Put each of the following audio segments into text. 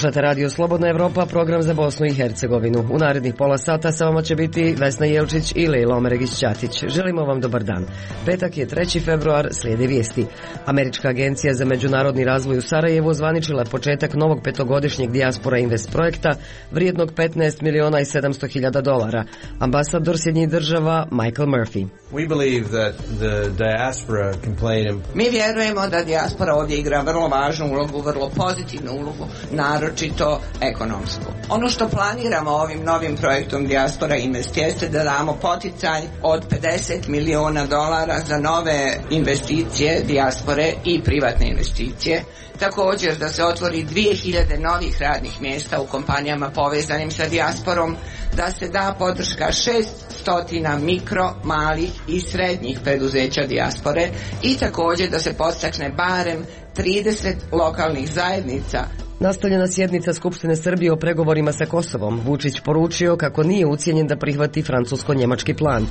Slušate Radio Slobodna Evropa, program za Bosnu i Hercegovinu. U narednih pola sata sa vama će biti Vesna Jelčić i Lejla Omeregić-Ćatić. Želimo vam dobar dan. Petak je 3. februar, slijede vijesti. Američka agencija za međunarodni razvoj u Sarajevu ozvaničila početak novog petogodišnjeg Dijaspora Invest projekta vrijednog $15.700.000. Ambasador Sjedinjenih Država Michael Murphy. Mi vjerujemo da dijaspora ovdje igra vrlo važnu ulogu, vrlo pozitivnu ulogu, naročito ekonomsku. Ono što planiramo ovim novim projektom Dijaspora Invest jeste da damo poticaj od $50 miliona za nove investicije dijaspore i privatne investicije. Također da se otvori 2000 novih radnih mjesta u kompanijama povezanim sa dijasporom, da se da podrška 600 mikro, malih i srednjih preduzeća dijaspore i također da se podstakne barem 30 lokalnih zajednica. Nastavljena sjednica Skupštine Srbije o pregovorima sa Kosovom. Vučić poručio kako nije ucijenjen da prihvati francusko-njemački plan.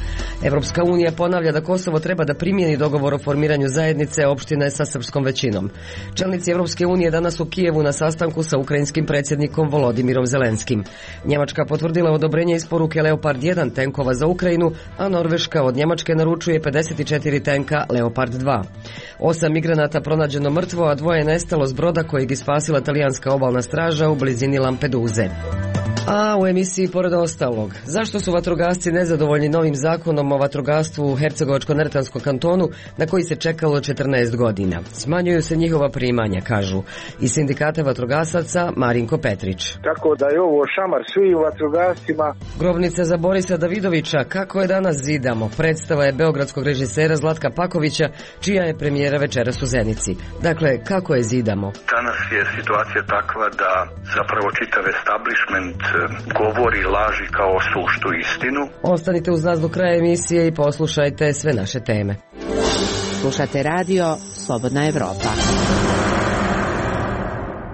Evropska unija ponavlja da Kosovo treba da primjeni dogovor o formiranju zajednice opštine sa srpskom većinom. Čelnici Evropske unije danas u Kijevu na sastanku sa ukrajinskim predsjednikom Volodimirom Zelenskim. Njemačka potvrdila odobrenje isporuke Leopard 1 tenkova za Ukrajinu, a Norveška od Njemačke naručuje 54 tenka Leopard 2. 8 migranata pronađeno mrtvo, a 2 nestalo s broda kojeg ispasila talijanska obalna straža u blizini Lampeduze. A u emisiji pored ostalog, zašto su vatrogasci nezadovoljni novim zakonom o vatrogastvu u Hercegovačko-Neretvanskom kantonu na koji se čekalo 14 godina? Smanjuju se njihova primanja, kažu. Iz sindikata vatrogasaca Marinko Petrić. Tako da je ovo šamar svi vatrogascima. Grobnica za Borisa Davidovića, kako je danas zidamo, predstava je beogradskog režisera Zlatka Pakovića, čija je premijera večeras u Zenici. Dakle, kako je zidamo? Danas je situacija takva da zapravo čitav establishment govori laži kao suštu istinu. Ostanite uz nas do kraja emisije i poslušajte sve naše teme. Slušate radio Slobodna Evropa.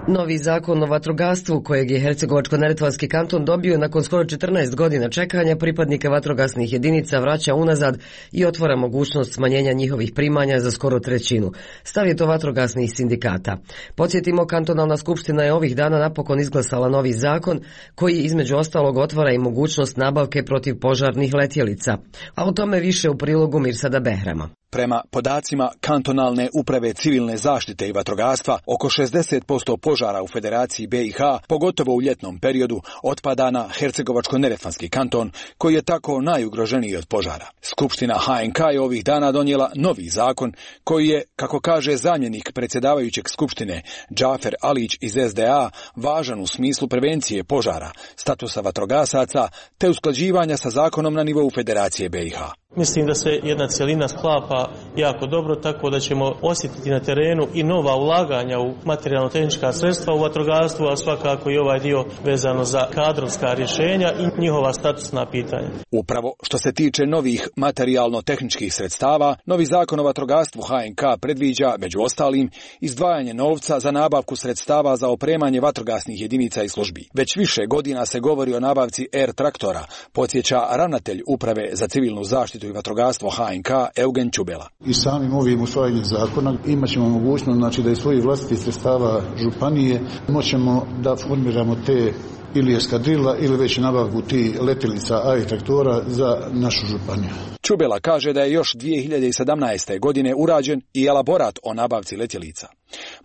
Novi zakon o vatrogastvu kojeg je Hercegovačko-Neretvanski kanton dobio nakon skoro 14 godina čekanja pripadnika vatrogasnih jedinica vraća unazad i otvara mogućnost smanjenja njihovih primanja za skoro trećinu. Stav je to vatrogasnih sindikata. Podsjetimo, kantonalna skupština je ovih dana napokon izglasala novi zakon koji između ostalog otvara i mogućnost nabavke protiv požarnih letjelica. A o tome više u prilogu Mirsada Behrama. Prema podacima kantonalne uprave civilne zaštite i vatrogastva, oko 60% požara u Federaciji BiH, pogotovo u ljetnom periodu, otpada na Hercegovačko-Neretvanski kanton, koji je tako najugroženiji od požara. Skupština HNK je ovih dana donijela novi zakon koji je, kako kaže zamjenik predsjedavajućeg skupštine Džafer Alić iz SDA, važan u smislu prevencije požara, statusa vatrogasaca te usklađivanja sa zakonom na nivou Federacije BiH. Mislim da se jedna cjelina sklapa jako dobro, tako da ćemo osjetiti na terenu i nova ulaganja u materijalno-tehnička sredstva u vatrogastvu, a svakako i ovaj dio vezano za kadrovska rješenja i njihova statusna pitanja. Upravo što se tiče novih materijalno-tehničkih sredstava, novi zakon o vatrogastvu HNK predviđa, među ostalim, izdvajanje novca za nabavku sredstava za opremanje vatrogasnih jedinica i službi. Već više godina se govori o nabavci Air traktora, podsjeća ravnatelj uprave za civilnu zaštitu i vatrogastvo HNK Eugen Čubela. I samim ovim usvajanjem zakona imat ćemo mogućnost da iz svojih vlastitih sredstava županije moćemo da formiramo te ili eskadrila ili već nabavku ti letjelica AI traktora za našu županiju. Čubela kaže da je još 2017. godine urađen i elaborat o nabavci letjelica.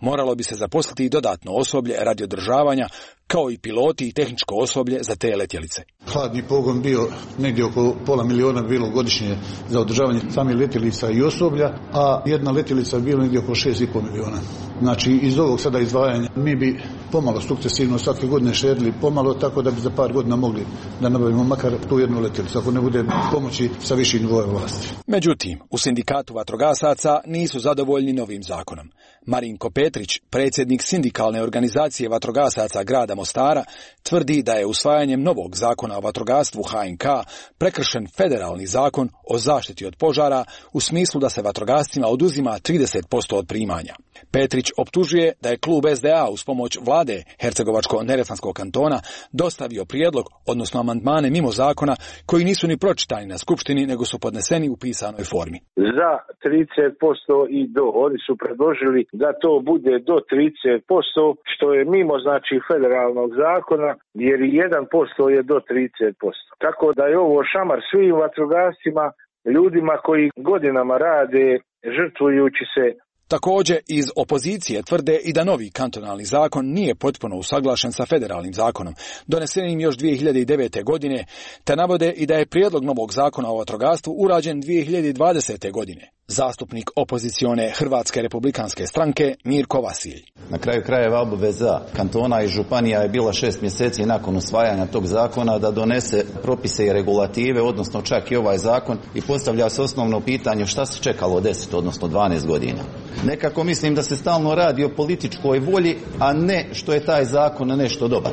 Moralo bi se zaposliti i dodatno osoblje radi održavanja, kao i piloti i tehničko osoblje za te letjelice. Hladni pogon bio negdje oko $500.000 bilo godišnje za održavanje samih letjelica i osoblja, a jedna letjelica bilo negdje oko $6,5 miliona. Znači, iz ovog sada izdvajanja mi bi pomalo sukcesivno svake godine štedili pomalo, tako da bi za par godina mogli da nabavimo makar tu jednu letjelicu, ako ne bude pomoći sa viših nivoa vlasti. Međutim, u sindikatu vatrogasaca nisu zadovoljni novim zakonom. Marinko Petrić, predsjednik sindikalne organizacije vatrogasaca grada Mostara, tvrdi da je usvajanjem novog zakona o vatrogastvu HNK prekršen federalni zakon o zaštiti od požara u smislu da se vatrogascima oduzima 30% od primanja. Petrić optužuje da je klub SDA uz pomoć vlasti vlade Hercegovačko-neretvanskog kantona dostavio prijedlog, odnosno amandmane mimo zakona koji nisu ni pročitani na skupštini, nego su podneseni u pisanoj formi. Za 30% i do. Oni su predložili da to bude do 30%, što je mimo znači federalnog zakona, jer 1% je do 30%. Tako da je ovo šamar svim vatrogascima, ljudima koji godinama rade, žrtvujući se. Također iz opozicije tvrde i da novi kantonalni zakon nije potpuno usaglašen sa federalnim zakonom, donesenim još 2009. godine, te navode i da je prijedlog novog zakona o vatrogastvu urađen 2020. godine. Zastupnik opozicione Hrvatske republikanske stranke Mirko Vasilj. Na kraju krajeva obaveza kantona i županija je bila 6 mjeseci nakon usvajanja tog zakona da donese propise i regulative, odnosno čak i ovaj zakon, i postavlja se osnovno pitanje šta se čekalo 10, odnosno 12 godina. Nekako mislim da se stalno radi o političkoj volji, a ne što je taj zakon nešto dobar.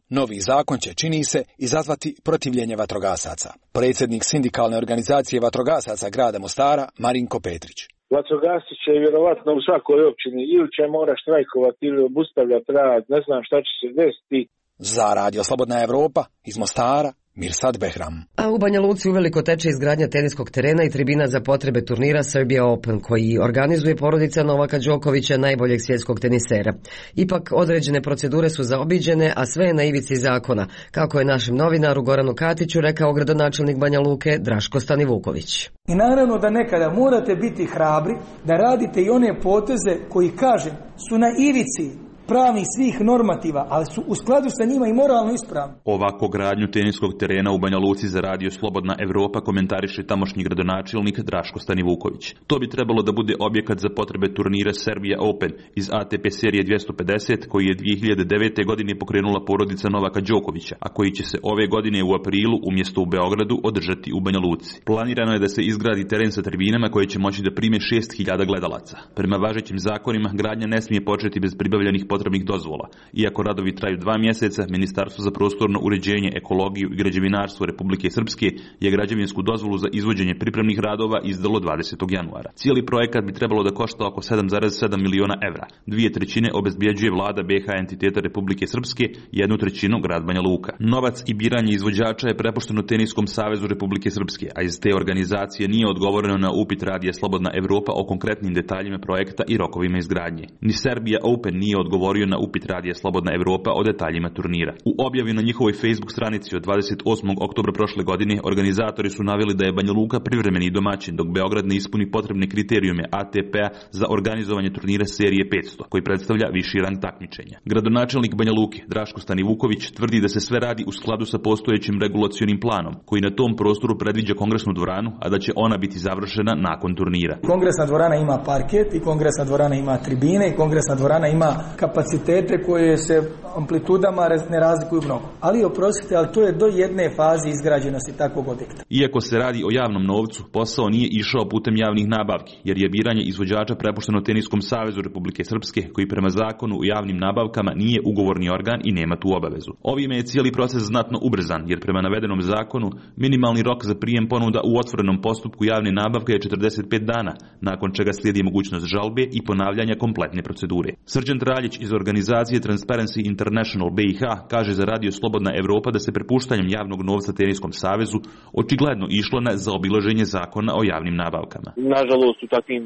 Novi zakon će, čini se, izazvati protivljenje vatrogasaca. Predsjednik sindikalne organizacije vatrogasaca grada Mostara, Marinko Petrić. Vatrogasci će vjerovatno u svakoj općini ili će mora štrajkovati ili obustavljati rad, ne znam šta će se desiti. Za Radio Slobodna Evropa iz Mostara, Mirsad Behram. A u Banja Luci uveliko teče izgradnja teniskog terena i tribina za potrebe turnira Serbia Open, koji organizuje porodica Novaka Đokovića, najboljeg svjetskog tenisera. Ipak određene procedure su zaobiđene, a sve je na ivici zakona, kako je našem novinaru Goranu Katiću rekao gradonačelnik Banja Luke Draško Stanivuković. I naravno da nekada morate biti hrabri, da radite i one poteze koji, kažem, su na ivici pravnih svih normativa, ali su u skladu sa njima i moralno ispravni. Ovako gradnju teniskog terena u Banja Luci za Radio Slobodna Evropa komentariše tamošnji gradonačelnik Draško Stanivuković. To bi trebalo da bude objekat za potrebe turnira Serbia Open iz ATP serije 250 koji je 2009. godine pokrenula porodica Novaka Đokovića, a koji će se ove godine u aprilu umjesto u Beogradu održati u Banja Luci. Planirano je da se izgradi teren sa tribinama koje će moći da prime 6.000 gledalaca. Prema važećim zakonima gradnja ne smije početi bez pribavljenih potrebnih dozvola. Iako radovi traju 2 mjeseca, Ministarstvo za prostorno uređenje, ekologiju i građevinarstvo Republike Srpske je građevinsku dozvolu za izvođenje pripremnih radova izdalo 20. januara. Cijeli projekat bi trebalo da košta oko 7,7 miliona evra. 2/3 obezbjeđuje vlada BiH entiteta Republike Srpske, 1/3 grad Banja Luka. Novac i biranje izvođača je prepušteno Teniskom savezu Republike Srpske, a iz te organizacije nije odgovoreno na upit Radija Slobodna Evropa o konkretnim detaljima projekta i rokovima izgradnje. Ni Serbia Open nije odgovorio na upit Radija Slobodna Evropa o detaljima turnira. U objavi na njihovoj Facebook stranici od 28. oktobra prošle godine organizatori su naveli da je Banja Luka privremeni domaćin, dok Beograd ne ispuni potrebne kriterijume ATP-a za organizovanje turnira serije 500, koji predstavlja viši rang takmičenja. Gradonačelnik Banja Luke Draško Stanivuković tvrdi da se sve radi u skladu sa postojećim regulacionim planom, koji na tom prostoru predviđa kongresnu dvoranu, a da će ona biti završena nakon turnira. Kongresna dvorana ima parket i kongresna dvorana ima tribine i kongresna dvorana ima kapacitete koje se amplitudama ne razlikuju mnogo. Ali oprostite, ali to je do jedne faze izgrađenosti takvog objekta. Iako se radi o javnom novcu, posao nije išao putem javnih nabavki, jer je biranje izvođača prepušteno Teniskom savezu Republike Srpske, koji prema zakonu o javnim nabavkama nije ugovorni organ i nema tu obavezu. Ovime je cijeli proces znatno ubrzan, jer prema navedenom zakonu minimalni rok za prijem ponuda u otvorenom postupku javne nabavke je 45 dana, nakon čega slijedi mogućnost žalbe i ponavljanja kompletne procedure. Srđan Traljić iz organizacije Transparency International BiH kaže za Radio Slobodna Evropa da se prepuštanjem javnog novca Teniskom savezu očigledno išlo na zaobilaženje zakona o javnim nabavkama. Nažalost, u takvim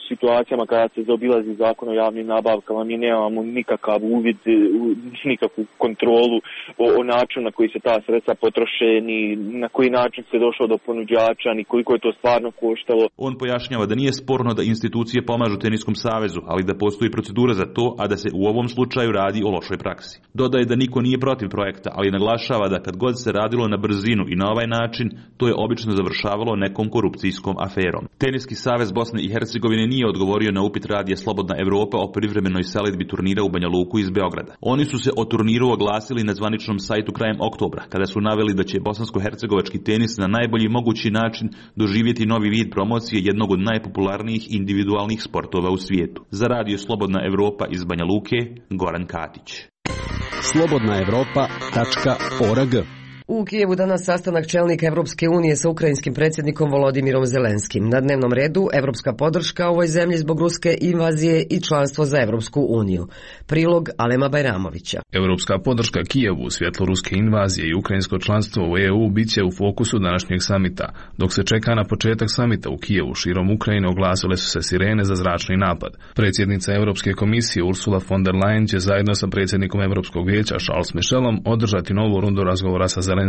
situacijama kada se zaobilazi zakon o javnim nabavkama mi nemamo nikakav uvid, nikakvu kontrolu o načinu na koji se ta sredstva potroše, ni na koji način se došlo do ponuđača, ni koliko je to stvarno koštalo. On pojašnjava da nije sporno da institucije pomažu Teniskom savezu, ali da postoji procedura za to, a da se u ovom slučaju radi o lošoj praksi. Dodaje da niko nije protiv projekta, ali naglašava da kad god se radilo na brzinu i na ovaj način, to je obično završavalo nekom korupcijskom aferom. Teniski savez Bosne i Hercegovine nije odgovorio na upit Radija Slobodna Evropa o privremenoj selidbi turnira u Banja Luku iz Beograda. Oni su se o turniru oglasili na zvaničnom sajtu krajem oktobra, kada su naveli da će bosansko-hercegovački tenis na najbolji mogući način doživjeti novi vid promocije jednog od najpopularnijih individualnih sportova u svijetu. Za Radio Slobodna Evropa iz Banja Luke, Goran Katić. slobodnaevropa.org. U Kijevu danas sastanak čelnika Evropske unije sa ukrajinskim predsjednikom Volodimirom Zelenskim. Na dnevnom redu evropska podrška ovoj zemlji zbog ruske invazije i članstvo za Evropsku uniju. Prilog Alema Bajramovića. Evropska podrška Kijevu u svjetlu ruske invazije i ukrajinsko članstvo u EU bit će u fokusu današnjeg samita. Dok se čeka na početak samita u Kijevu, širom Ukrajine oglasile su se sirene za zračni napad. Predsjednica Europske komisije Ursula von der Leyen će zajedno sa predsjednikom Europskog vijeća Charles Michelom održati novu rundu razgovora sa Zelenskim.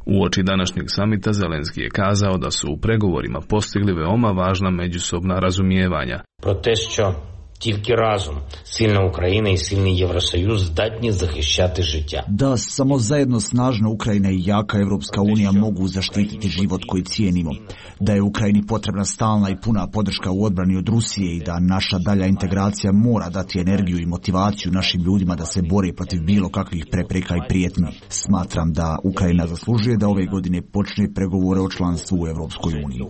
Uoči današnjeg samita Zelenski je kazao da su u pregovorima postigli veoma važna međusobna razumijevanja. Тільки разом сильна Україна і сильний Євросоюз здатні захищати життя. Da samo zajedno snažna Ukrajina i jaka Evropska unija mogu zaštititi život koji cijenimo. Da je Ukrajini potrebna stalna i puna podrška u odbrani od Rusije i da naša dalja integracija mora dati energiju i motivaciju našim ljudima da se bore protiv bilo kakvih prepreka i prijetnji. Smatram da Ukrajina zaslužuje da ove godine počne pregovore o članstvu u Evropskoj uniji.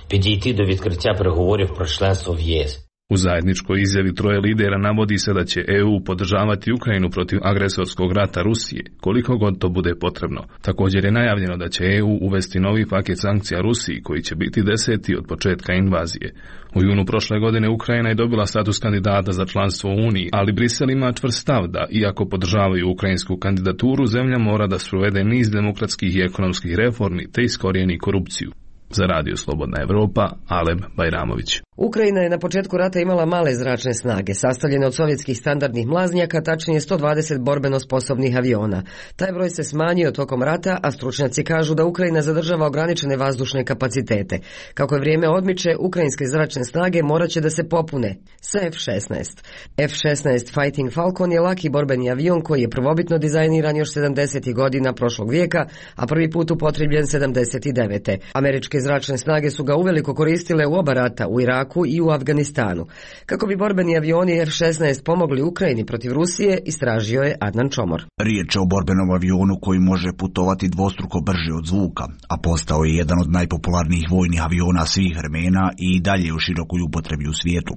Підійти до відкриття переговорів про членство в ЄС. U zajedničkoj izjavi troje lidera navodi se da će EU podržavati Ukrajinu protiv agresorskog rata Rusije, koliko god to bude potrebno. Također je najavljeno da će EU uvesti novi paket sankcija Rusiji, koji će biti 10. od početka invazije. U junu prošle godine Ukrajina je dobila status kandidata za članstvo u Uniji, ali Brisel ima čvrst stav da, iako podržavaju ukrajinsku kandidaturu, zemlja mora da sprovede niz demokratskih i ekonomskih reformi te iskorijeni korupciju. Za Radio Slobodna Evropa, Alem Bajramović. Ukrajina je na početku rata imala male zračne snage, sastavljene od sovjetskih standardnih mlaznjaka, tačnije 120 borbeno sposobnih aviona. Taj broj se smanjio tokom rata, a stručnjaci kažu da Ukrajina zadržava ograničene vazdušne kapacitete. Kako je vrijeme odmiče, ukrajinske zračne snage morat će da se popune sa F-16. F-16 Fighting Falcon je laki borbeni avion koji je prvobitno dizajniran još 70. godina prošlog vijeka, a prvi put upotrebljen 79. Američke zračne snage su ga uveliko koristile u oba rata, u Iraku i u Afganistanu. Kako bi borbeni avioni F-16 pomogli Ukrajini protiv Rusije, istražio je Adnan Čomor. Riječ je o borbenom avionu koji može putovati dvostruko brže od zvuka, a postao je jedan od najpopularnijih vojnih aviona svih vremena i dalje u širokoj upotrebi u svijetu.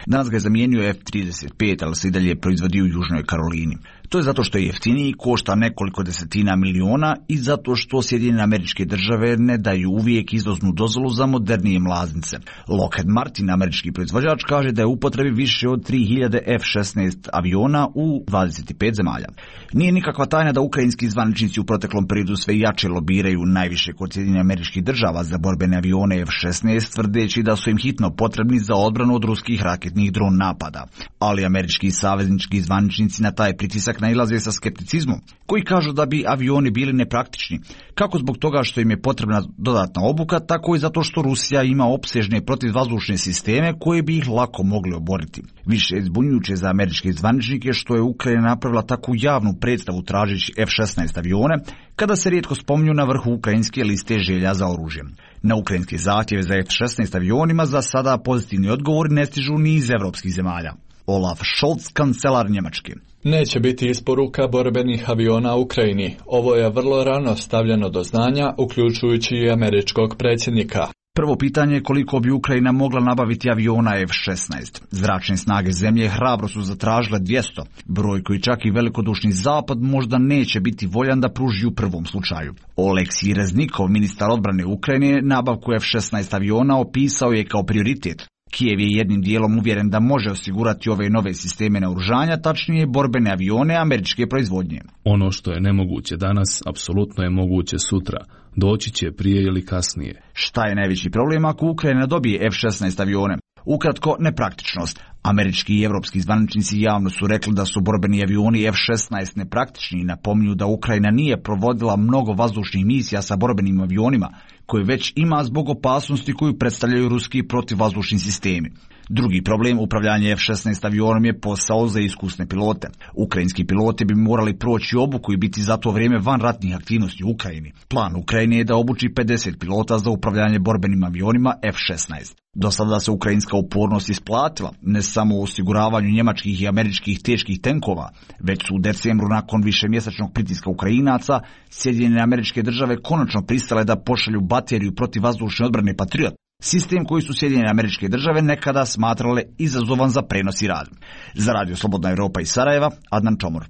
Danas ga je zamijenio F-35, ali se i dalje proizvodi u Južnoj Karolini. To je zato što je jeftiniji, košta nekoliko desetina miliona i zato što Sjedinjene Američke Države ne daju uvijek izvoznu dozvolu za modernije mlaznice. Lockheed Martin, američki proizvođač, kaže da je u upotrebi više od 3000 F-16 aviona u 25 zemalja. Nije nikakva tajna da ukrajinski zvaničnici u proteklom periodu sve jače lobiraju najviše kod Sjedinjenih Američkih Država za borbene avione F-16, tvrdeći da su im hitno potrebni za odbranu od ruskih raketnih dron napada. Ali američki saveznički zvaničnici na taj pritisak nailaze sa skepticizmom, koji kažu da bi avioni bili nepraktični, kako zbog toga što im je potrebna dodatna obuka, tako i zato što Rusija ima opsežne protivvazdušne sisteme koje bi ih lako mogli oboriti. Više je zbunjujuće za američke zvaničnike što je Ukrajina napravila takvu javnu predstavu tražeći F-16 avione, kada se rijetko spominju na vrhu ukrajinske liste želja za oružjem. Na ukrajinske zahtjeve za F-16 avionima za sada pozitivni odgovori ne stižu ni iz evropskih zemalja. Olaf Scholz, kancelar Njemačke. Neće biti isporuka borbenih aviona Ukrajini. Ovo je vrlo rano stavljeno do znanja, uključujući i američkog predsjednika. Prvo pitanje je koliko bi Ukrajina mogla nabaviti aviona F-16. Zračne snage zemlje hrabro su zatražile 200, broj koji čak i velikodušni zapad možda neće biti voljan da pruži u prvom slučaju. Oleksij Reznikov, ministar odbrane Ukrajine, nabavku F-16 aviona opisao je kao prioritet. Kijev je jednim dijelom uvjeren da može osigurati ove nove sisteme naoružanja, tačnije borbene avione američke proizvodnje. Ono što je nemoguće danas, apsolutno je moguće sutra. Doći će prije ili kasnije. Šta je najveći problem ako Ukrajina dobije F-16 avione? Ukratko, nepraktičnost. Američki i evropski zvaničnici javno su rekli da su borbeni avioni F-16 nepraktični i napominju da Ukrajina nije provodila mnogo vazdušnih misija sa borbenim avionima, koje već ima zbog opasnosti koju predstavljaju ruski protivvazdušni sistemi. Drugi problem, upravljanje F-16 avionom, je posao za iskusne pilote. Ukrajinski piloti bi morali proći obuku i biti za to vrijeme van ratnih aktivnosti u Ukrajini. Plan Ukrajine je da obuči 50 pilota za upravljanje borbenim avionima F-16. Do sada se ukrajinska upornost isplatila, ne samo u osiguravanju njemačkih i američkih teških tenkova, već su u decembru nakon višemjesečnog pritiska Ukrajinaca Sjedinjene Američke Države konačno pristale da pošalju bateriju protivvazdušne odbrane Patriot, sistem koji su Sjedinjene Američke Države nekada smatrale izazovan za prenos i rad. Za Radio Slobodna Evropa iz Sarajeva, Adnan Čomor.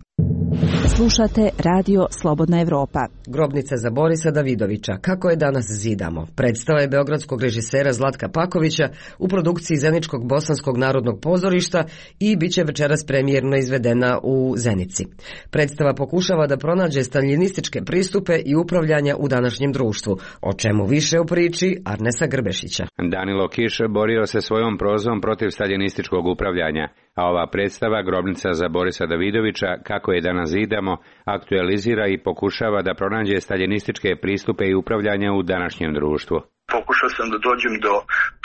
Slušate Radio Slobodna Evropa. Grobnica za Borisa Davidovića. Kako je danas zidamo? Predstava je beogradskog režisera Zlatka Pakovića u produkciji Zeničkog bosanskog narodnog pozorišta i bit će večeras premijerno izvedena u Zenici. Predstava pokušava da pronađe staljinističke pristupe i upravljanja u današnjem društvu. O čemu više u priči Arnesa Grbešića. Danilo Kiš borio se svojom prozom protiv staljinističkog upravljanja, a ova predstava Grobnica za Borisa Davidovića, kako je danas zidamo, aktualizira i pokušava da pronađe staljinističke pristupe i upravljanja u današnjem društvu. Pokušao sam da dođem do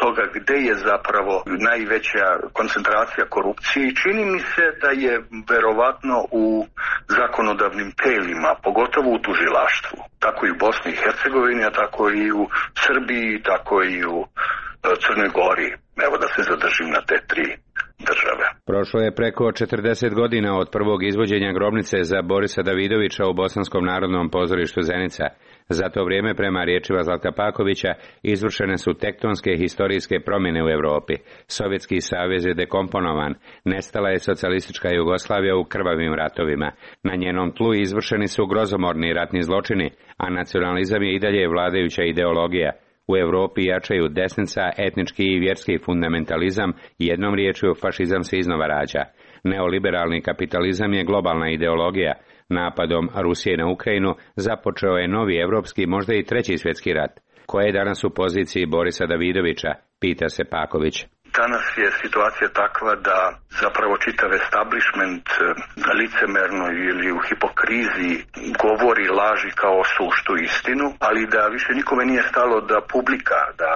toga gde je zapravo najveća koncentracija korupcije i čini mi se da je verovatno u zakonodavnim telima, pogotovo u tužilaštvu. Tako i u Bosni i Hercegovini, a tako i u Srbiji, tako i u Crnoj Gori. Evo da se zadržim na te tri države. Prošlo je preko 40 godina od prvog izvođenja Grobnice za Borisa Davidovića u Bosanskom narodnom pozorištu Zenica. Za to vrijeme, prema riječima Zlatka Pakovića, izvršene su tektonske historijske promjene u Europi. Sovjetski savez je dekomponovan, nestala je socijalistička Jugoslavija u krvavim ratovima. Na njenom tlu izvršeni su grozomorni ratni zločini, a nacionalizam je i dalje vladajuća ideologija. U Europi jačaju desnica, etnički i vjerski fundamentalizam, jednom riječju fašizam se iznova rađa. Neoliberalni kapitalizam je globalna ideologija. Napadom Rusije na Ukrajinu započeo je novi evropski, možda i treći svjetski rat. Ko je danas u poziciji Borisa Davidovića, pita se Paković. Danas je situacija takva da zapravo čitav establishment licemerno ili u hipokriziji govori laži kao suštu istinu, ali da više nikome nije stalo da publika, da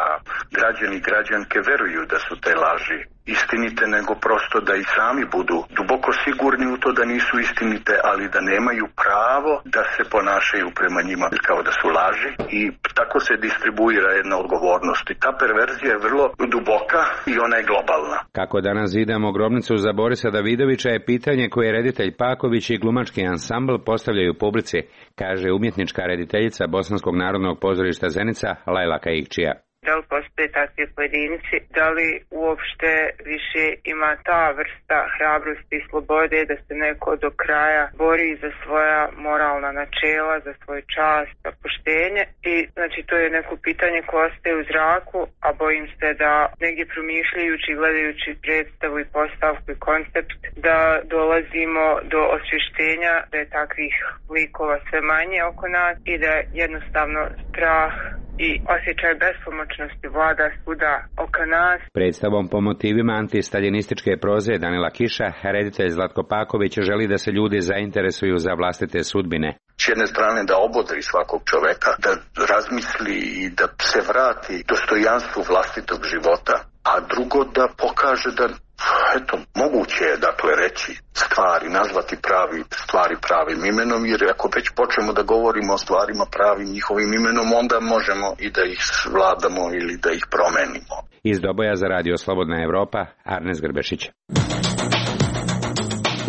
građani i građanke veruju da su te laži istinite, nego prosto da i sami budu duboko sigurni u to da nisu istinite, ali da nemaju pravo da se ponašaju prema njima kao da su laži, i tako se distribuira jedna odgovornost. I ta perverzija je vrlo duboka i ona je globalna. Kako danas zidamo Grobnicu za Borisa Davidovića je pitanje koje reditelj Paković i glumački ansambl postavljaju publici, kaže umjetnička rediteljica Bosanskog narodnog pozorišta Zenica Lajla Kaikčija. Da li postoje takvi pojedinci, da li uopšte više ima ta vrsta hrabrosti i slobode da se neko do kraja bori za svoja moralna načela, za svoj čast, za poštenje. I znači to je neko pitanje koje ostaje u zraku, a bojim se da negdje promišljajući, gledajući predstavu i postavku i koncept, da dolazimo do osvještenja da je takvih likova sve manje oko nas i da jednostavno strah i osjećaj bespomoćnosti vlada svuda oko nas. Predstavom po motivima antistaljinističke proze Danila Kiša, reditelj Zlatko Paković želi da se ljudi zainteresuju za vlastite sudbine. S jedne strane da obodri svakog čoveka, da razmisli i da se vrati dostojanstvu vlastitog života, a drugo da pokaže da eto, moguće je dakle reći stvari, nazvati stvari pravim imenom, jer ako već počnemo da govorimo o stvarima pravim njihovim imenom, onda možemo i da ih vladamo ili da ih promenimo. Iz Doboja za Radio Slobodna Evropa, Arnes Grbešić.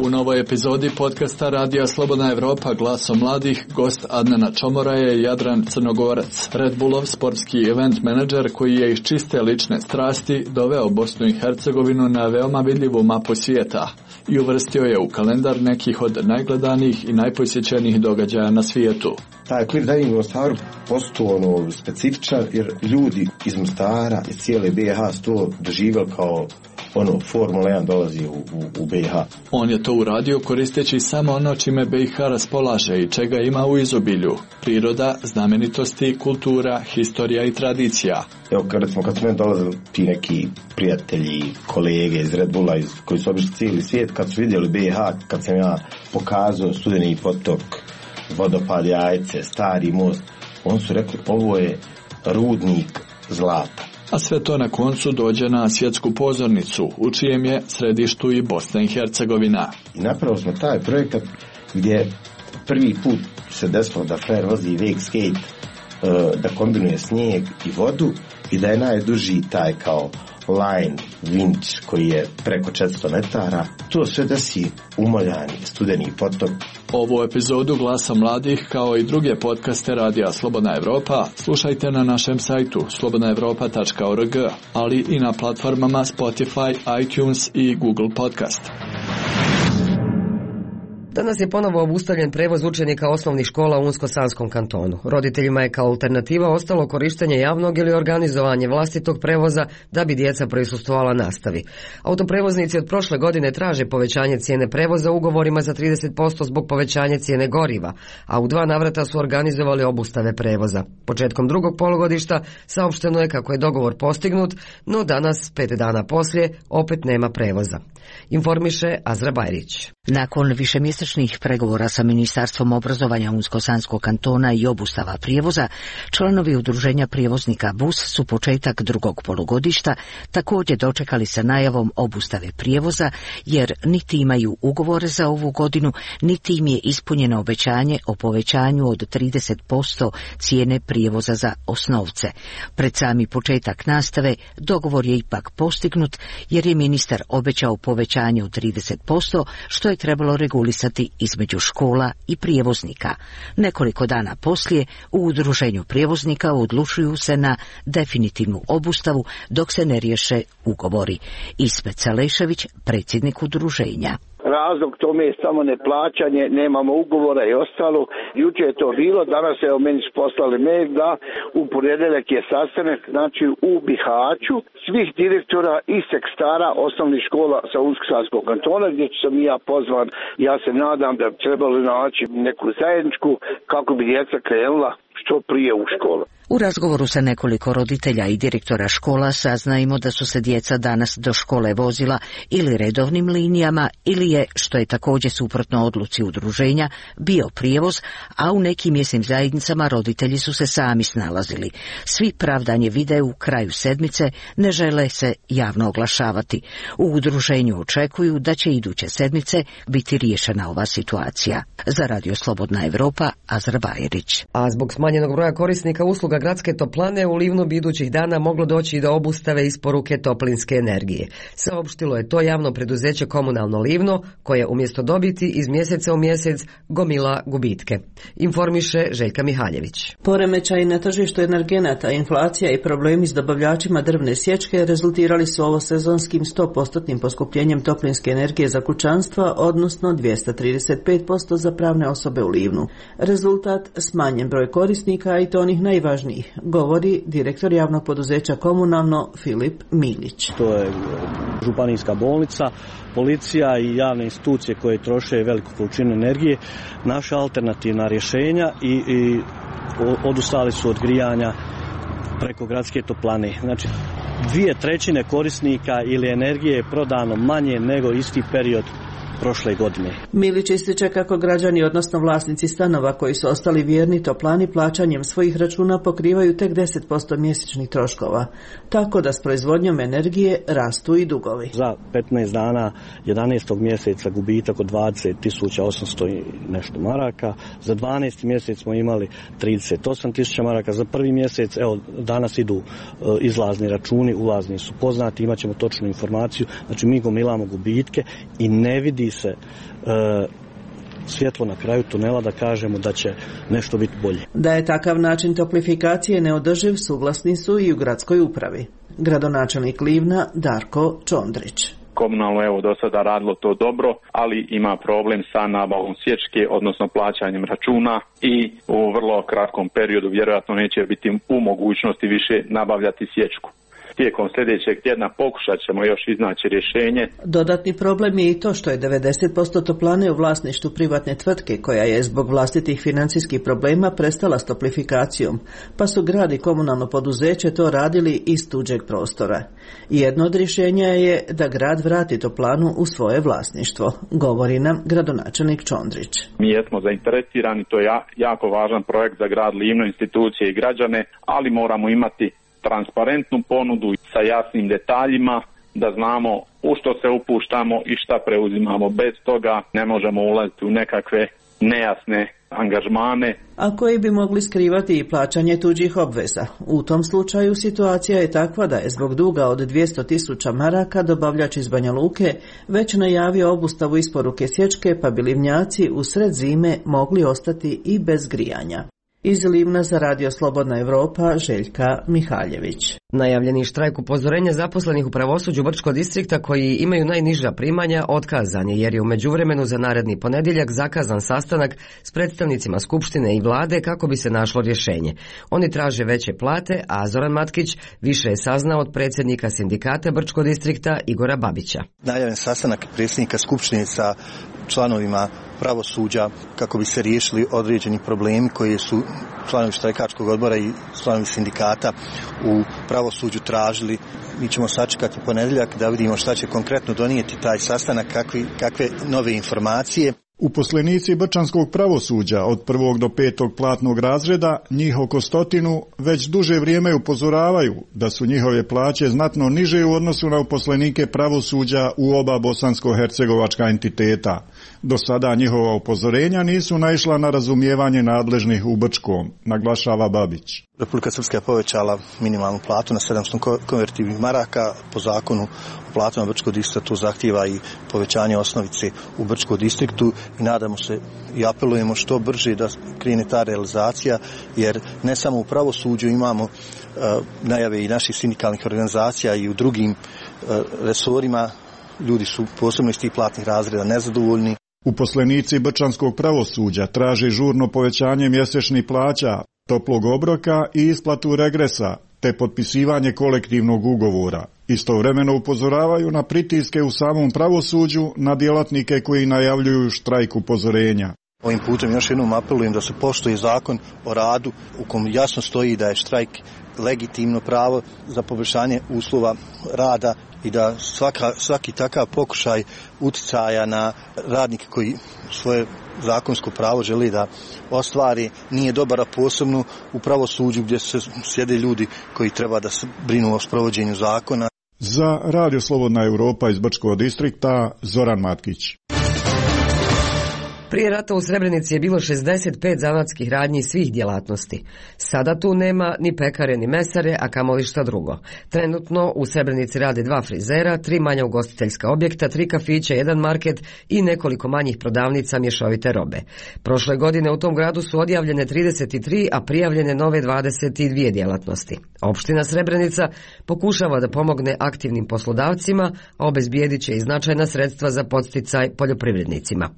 U novoj epizodi podcasta Radija Slobodna Evropa Glasom mladih gost Adnana Čomora je Jadran Crnogorac, Red Bullov sportski event menadžer koji je iz čiste lične strasti doveo Bosnu i Hercegovinu na veoma vidljivu mapu svijeta i uvrstio je u kalendar nekih od najgledanijih i najposjećenijih događaja na svijetu. Taj Clear Diving u Mostaru postao specifičan jer ljudi iz Mostara i cijele BiH su to doživjeli kao Formula 1 dolazi u BiH. On je to uradio koristeći samo ono čime BiH raspolaže i čega ima u izobilju. Priroda, znamenitosti, kultura, historija i tradicija. Evo kad su meni dolazili ti neki prijatelji, kolege iz Red Bulla koji su obišli cijeli svijet, kad su vidjeli BiH, kad sam ja pokazao Studeni potok, vodopad Jajce, Stari most, oni su rekli ovo je rudnik zlata. A sve to na koncu dođe na svjetsku pozornicu, u čijem je središtu i Bosna i Hercegovina. I napravili smo taj projekat gdje prvi put se desilo da frajer vozi wake skate, da kombinuje snijeg i vodu i da je najduži taj kao line vinč koji je preko 400 metara. To sve desi umoljani Studeni potok. Ovu epizodu Glasa mladih kao i druge podcaste Radija Slobodna Evropa slušajte na našem sajtu slobodnaevropa.org, ali i na platformama Spotify, iTunes i Google Podcast. Danas je ponovo obustavljen prevoz učenika osnovnih škola u Unsko-Sanskom kantonu. Roditeljima je kao alternativa ostalo korištenje javnog ili organizovanje vlastitog prevoza da bi djeca prisustvovala nastavi. Autoprevoznici od prošle godine traže povećanje cijene prevoza ugovorima za 30% zbog povećanja cijene goriva, a u 2 navrata su organizovali obustave prevoza. Početkom drugog polugodišta saopšteno je kako je dogovor postignut, no danas, 5 dana poslije, opet nema prevoza. Informiše Azra Bajrić. Nakon višemjesečnih pregovora sa Ministarstvom obrazovanja Unsko-Sanskog kantona i obustava prijevoza, članovi udruženja prijevoznika BUS su početak drugog polugodišta također dočekali sa najavom obustave prijevoza, jer niti imaju ugovore za ovu godinu, niti im je ispunjeno obećanje o povećanju od 30% cijene prijevoza za osnovce. Pred sami početak nastave dogovor je ipak postignut, jer je ministar obećao povećanje od 30%, što je trebalo regulisati između škola i prijevoznika. Nekoliko dana poslije u udruženju prijevoznika odlučuju se na definitivnu obustavu dok se ne riješe ugovori. Ismet Salešević, predsjednik udruženja. Razlog tome je samo neplaćanje, nemamo ugovora i ostalo. Juče je to bilo, danas je meni poslali mail da u ponedjeljak je sastanak, znači u Bihaću, svih direktora i sekstara osnovnih škola sa Unsko-Sanskog kantona, gdje sam i ja pozvan. Ja se nadam da bi trebalo naći neku zajedničku kako bi djeca krenula što prije u školu. U razgovoru sa nekoliko roditelja i direktora škola saznajemo da su se djeca danas do škole vozila ili redovnim linijama ili je, što je također suprotno odluci udruženja, bio prijevoz, a u nekim mjesnim zajednicama roditelji su se sami snalazili. Svi pravdanje vide u kraju sedmice, ne žele se javno oglašavati. U udruženju očekuju da će iduće sedmice biti riješena ova situacija. Za Radio Slobodna Evropa, Azra Bajrić. A zbog smanjenog broja korisnika usluga gradske toplane u Livnu bi idućih dana moglo doći do obustave isporuke toplinske energije. Saopštilo je to javno preduzeće Komunalno Livno, koje umjesto dobiti iz mjeseca u mjesec gomila gubitke. Informiše Željka Mihaljević. Poremećaj na tržištu energenata, inflacija i problemi s dobavljačima drvne sječke rezultirali su ovosezonskim 100% poskupljenjem toplinske energije za kućanstva, odnosno 235% za pravne osobe u Livnu. Rezultat smanjen broj korisnika i to onih najvažnijih, govori direktor javnog poduzeća Komunalno Filip Milić. To je županijska bolnica, policija i javne institucije koje troše veliku količinu energije. Naša alternativna rješenja i odustali su od grijanja preko gradske toplane. Znači, 2/3 korisnika ili energije je prodano manje nego isti period prošle godine. Milić ističe kako građani, odnosno vlasnici stanova koji su ostali vjerni toplani, plaćanjem svojih računa pokrivaju tek 10% mjesečnih troškova, tako da s proizvodnjom energije rastu i dugovi. Za 15 dana 11. mjeseca gubitak od 20.800 i nešto maraka, za 12. mjesec smo imali 38.000 maraka, za prvi mjesec, evo danas idu izlazni računi, ulazni su poznati, imat ćemo točnu informaciju, znači mi gomilamo gubitke i ne vidi se svjetlo na kraju tunela da kažemo da će nešto biti bolje. Da je takav način toplifikacije neodrživ, suglasni su i u gradskoj upravi. Gradonačelnik Livna Darko Čondrić. Komunalno evo do sada radilo to dobro, ali ima problem sa nabavom sječke, odnosno plaćanjem računa i u vrlo kratkom periodu vjerojatno neće biti u mogućnosti više nabavljati sječku. Tijekom sljedećeg tjedna pokušat ćemo još iznaći rješenje. Dodatni problem je i to što je 90% toplane u vlasništvu privatne tvrtke koja je zbog vlastitih financijskih problema prestala s toplifikacijom, pa su grad i komunalno poduzeće to radili iz tuđeg prostora. Jedno od rješenja je da grad vrati toplanu u svoje vlasništvo, govori nam gradonačelnik Čondrić. Mi jesmo zainteresirani, to je jako važan projekt za grad Livno, institucije i građane, ali moramo imati transparentnu ponudu sa jasnim detaljima, da znamo u što se upuštamo i šta preuzimamo. Bez toga ne možemo ulaziti u nekakve nejasne angažmane. A koji bi mogli skrivati i plaćanje tuđih obveza. U tom slučaju situacija je takva da je zbog duga od 200.000 maraka dobavljač iz Banja Luke već najavio obustavu isporuke sječke, pa bi Livnjaci u sred zime mogli ostati i bez grijanja. Iz Livna za Radio Slobodna Evropa, Željka Mihaljević. Najavljeni štrajk upozorenja zaposlenih u pravosuđu Brčkog distrikta koji imaju najniža primanja otkazan je jer je u međuvremenu za naredni ponedjeljak zakazan sastanak s predstavnicima Skupštine i vlade kako bi se našlo rješenje. Oni traže veće plate, a Zoran Matkić više je saznao od predsjednika sindikata Brčkog distrikta Igora Babića. Najavljen sastanak predsjednika Skupštine sa članovima pravosuđa kako bi se riješili određeni problemi koji su članovi štrajkačkog odbora i članovi sindikata u pravosuđu tražili. Mi ćemo sačekati ponedjeljak da vidimo šta će konkretno donijeti taj sastanak, kakve nove informacije. Uposlenici brčanskog pravosuđa od 1. do 5. platnog razreda, njih oko 100, već duže vrijeme upozoravaju da su njihove plaće znatno niže u odnosu na uposlenike pravosuđa u oba bosansko-hercegovačka entiteta. Do sada njihova upozorenja nisu naišla na razumijevanje nadležnih u Brčkom, naglašava Babić. Republika Srpska je povećala minimalnu platu na 700 konvertivnih maraka. Po zakonu o platama Brčkog distrikta to zahtijeva i povećanje osnovice u Brčkom distriktu i nadamo se i apelujemo što brže da krene ta realizacija, jer ne samo u pravosuđu imamo najave i naših sindikalnih organizacija i u drugim resorima. Ljudi su posebno iz tih platnih razreda nezadovoljni. Uposlenici brčanskog pravosuđa traže žurno povećanje mjesečnih plaća, toplog obroka i isplatu regresa, te potpisivanje kolektivnog ugovora. Istovremeno upozoravaju na pritiske u samom pravosuđu na djelatnike koji najavljuju štrajk upozorenja. Ovim putem još jednom apelujem da se poštuje zakon o radu u kom jasno stoji da je štrajk legitimno pravo za poboljšanje uslova rada i da svaki takav pokušaj uticaja na radnike koji svoje zakonsko pravo želi da ostvari nije dobar, a posebno u pravosuđu gdje se sjede ljudi koji treba da se brinu o sprovođenju zakona. Za Radio Slobodna Evropa iz Brčkog distrikta, Zoran Matkić. Prije rata u Srebrenici je bilo 65 zanatskih radnji svih djelatnosti. Sada tu nema ni pekare ni mesare, a kamoli šta drugo. Trenutno u Srebrenici rade 2 frizera, 3 manja ugostiteljska objekta, 3 kafića, 1 market i nekoliko manjih prodavnica mješovite robe. Prošle godine u tom gradu su odjavljene 33, a prijavljene nove 22 djelatnosti. Opština Srebrenica pokušava da pomogne aktivnim poslodavcima, a obezbijedit će i značajna sredstva za podsticaj poljoprivrednicima.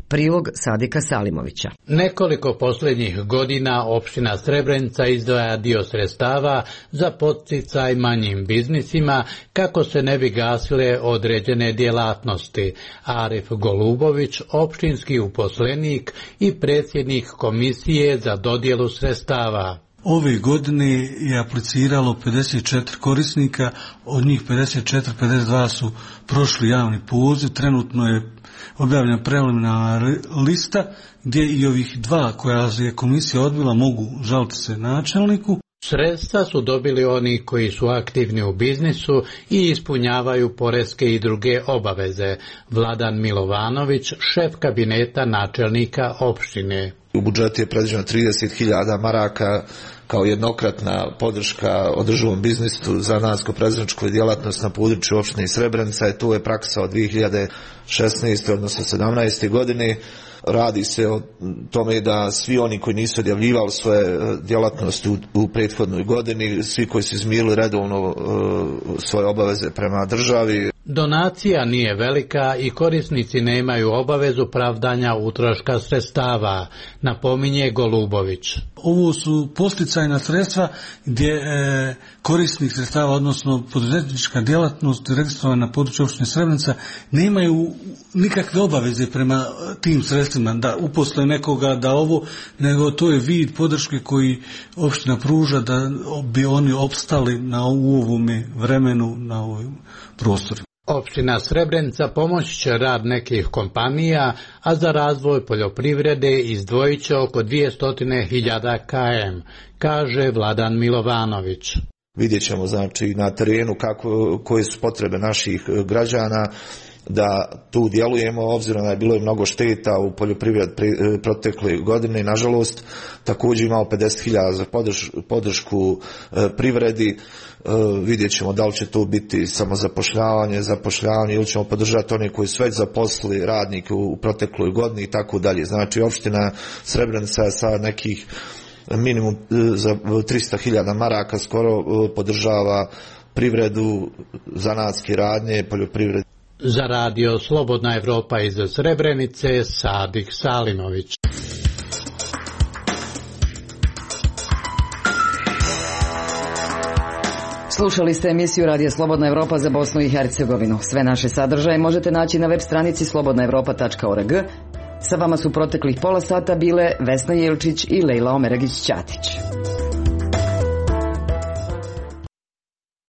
Prilog Sadika Salimovića. Nekoliko posljednjih godina opština Srebrenica izdvaja dio sredstava za podsticaj manjim biznisima kako se ne bi gasile određene djelatnosti. Arif Golubović, opštinski uposlenik i predsjednik komisije za dodjelu sredstava. Ove godine je apliciralo 54 korisnika, od njih 52 su prošli javni poziv, trenutno je objavljena preliminarna lista gdje i ovih 2 koja je komisija odbila mogu žaliti se načelniku. Sredstva su dobili oni koji su aktivni u biznisu i ispunjavaju poreske i druge obaveze. Vladan Milovanović, šef kabineta načelnika opštine. U budžetu je predviđeno 30.000 maraka kao jednokratna podrška održivom biznisu za zanatsko-prerađivačku djelatnost na području opštine Srebrenica i tu je praksa od 2016. odnosno 17. godine. Radi se o tome da svi oni koji nisu odjavljivali svoje djelatnosti u prethodnoj godini, svi koji su izmirili redovno svoje obaveze prema državi. Donacija nije velika i korisnici nemaju obavezu pravdanja utroška sredstava, napominje Golubović. Ovo su posticajna sredstva gdje korisnik sredstava, odnosno poduzetnička djelatnost registrovana na području opštine Srebrenica, nemaju nikakve obaveze prema tim sredstvima da uposle nekoga, da ovo, nego to je vid podrške koji opština pruža da bi oni opstali u ovome vremenu, na ovom prostoru. Opština Srebrenica pomoći će rad nekih kompanija, a za razvoj poljoprivrede izdvojit će oko 200.000 km, kaže Vladan Milovanović. Vidjet ćemo znači na terenu koje su potrebe naših građana da tu djelujemo, obzirom da je bilo i mnogo šteta u poljoprivredi protekle godine, nažalost. Također imamo 50.000 za podršku privredi. Vidjet ćemo da li će to biti samo zapošljavanje ili ćemo podržati one koji su već zaposlili radnike u protekloj godini i tako dalje. Znači opština Srebrenica sa nekih minimum za 300.000 maraka skoro podržava privredu, zanatske radnje, poljoprivredu. Za radio Slobodna Evropa iz Srebrenice, Sadik Salimović. Slušali ste emisiju Radija Slobodna Evropa za Bosnu i Hercegovinu. Sve naše sadržaje možete naći na web stranici slobodnaevropa.org. Sa vama su proteklih pola sata bile Vesna Jelčić i Lejla Omeragić-Ćatić.